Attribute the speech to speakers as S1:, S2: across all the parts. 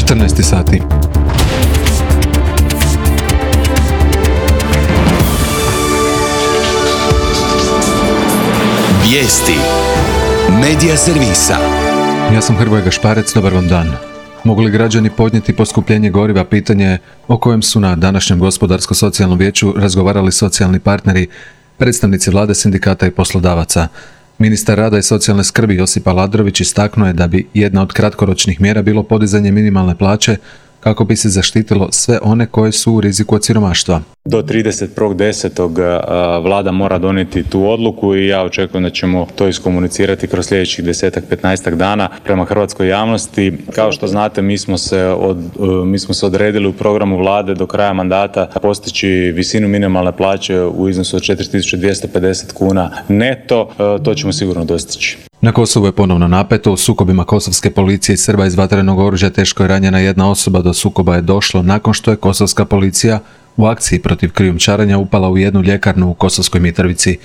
S1: 14 sati.
S2: Vijesti Medija servisa.
S1: Ja sam Hrvoje Gašparec, dobar vam dan. Mogu li građani podnijeti poskupljenje goriva, pitanje je o kojem su na današnjem gospodarsko-socijalnom vijeću razgovarali socijalni partneri, predstavnici vlade, sindikata i poslodavaca. Ministar rada i socijalne skrbi Josip Aladrović istaknuo je da bi jedna od kratkoročnih mjera bilo podizanje minimalne plaće kako bi se zaštitilo sve one koje su u riziku od siromaštva.
S3: Do 31.10. vlada mora donijeti tu odluku i ja očekujem da ćemo to iskomunicirati kroz sljedećih 10-15 dana prema hrvatskoj javnosti. Kao što znate, mi smo se odredili u programu vlade do kraja mandata postići visinu minimalne plaće u iznosu od 4.250 kuna neto. To ćemo sigurno dostići.
S1: Na Kosovu je ponovno napeto. U sukobima kosovske policije i Srba iz vatrenog oružja teško je ranjena jedna osoba. Do sukoba je došlo nakon što je kosovska policija u akciji protiv krijumčarenja upala u jednu ljekarnu u Kosovskoj Mitrovici.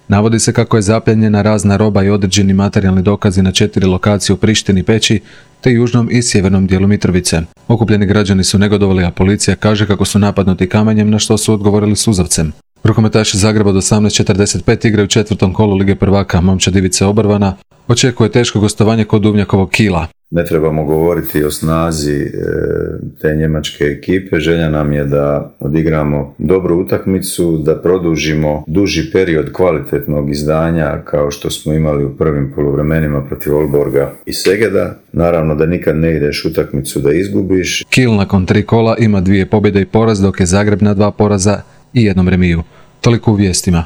S1: Navodi se kako je zapljenjena razna roba i određeni materijalni dokazi na 4 lokacije u Prištini, Peći te južnom i sjevernom dijelu Mitrovice. Okupljeni građani su negodovali, a policija kaže kako su napadnuti kamenjem, na što su odgovorili suzavcem. Rukometaši Zagreba od 18:45 igraju u 4. kolu Lige prvaka. Momčad Ivice Obrvana očekuje teško gostovanje kod Duvnjakovog Kila.
S4: Ne trebamo govoriti o snazi te njemačke ekipe. Želja nam je da odigramo dobru utakmicu, da produžimo duži period kvalitetnog izdanja kao što smo imali u prvim poluvremenima protiv Olborga i Segeda. Naravno da nikad ne ideš utakmicu da izgubiš.
S1: Kil nakon 3 kola ima 2 pobjede i poraz, dok je Zagreb na 2 poraza i 1 remiju. Toliko u vijestima.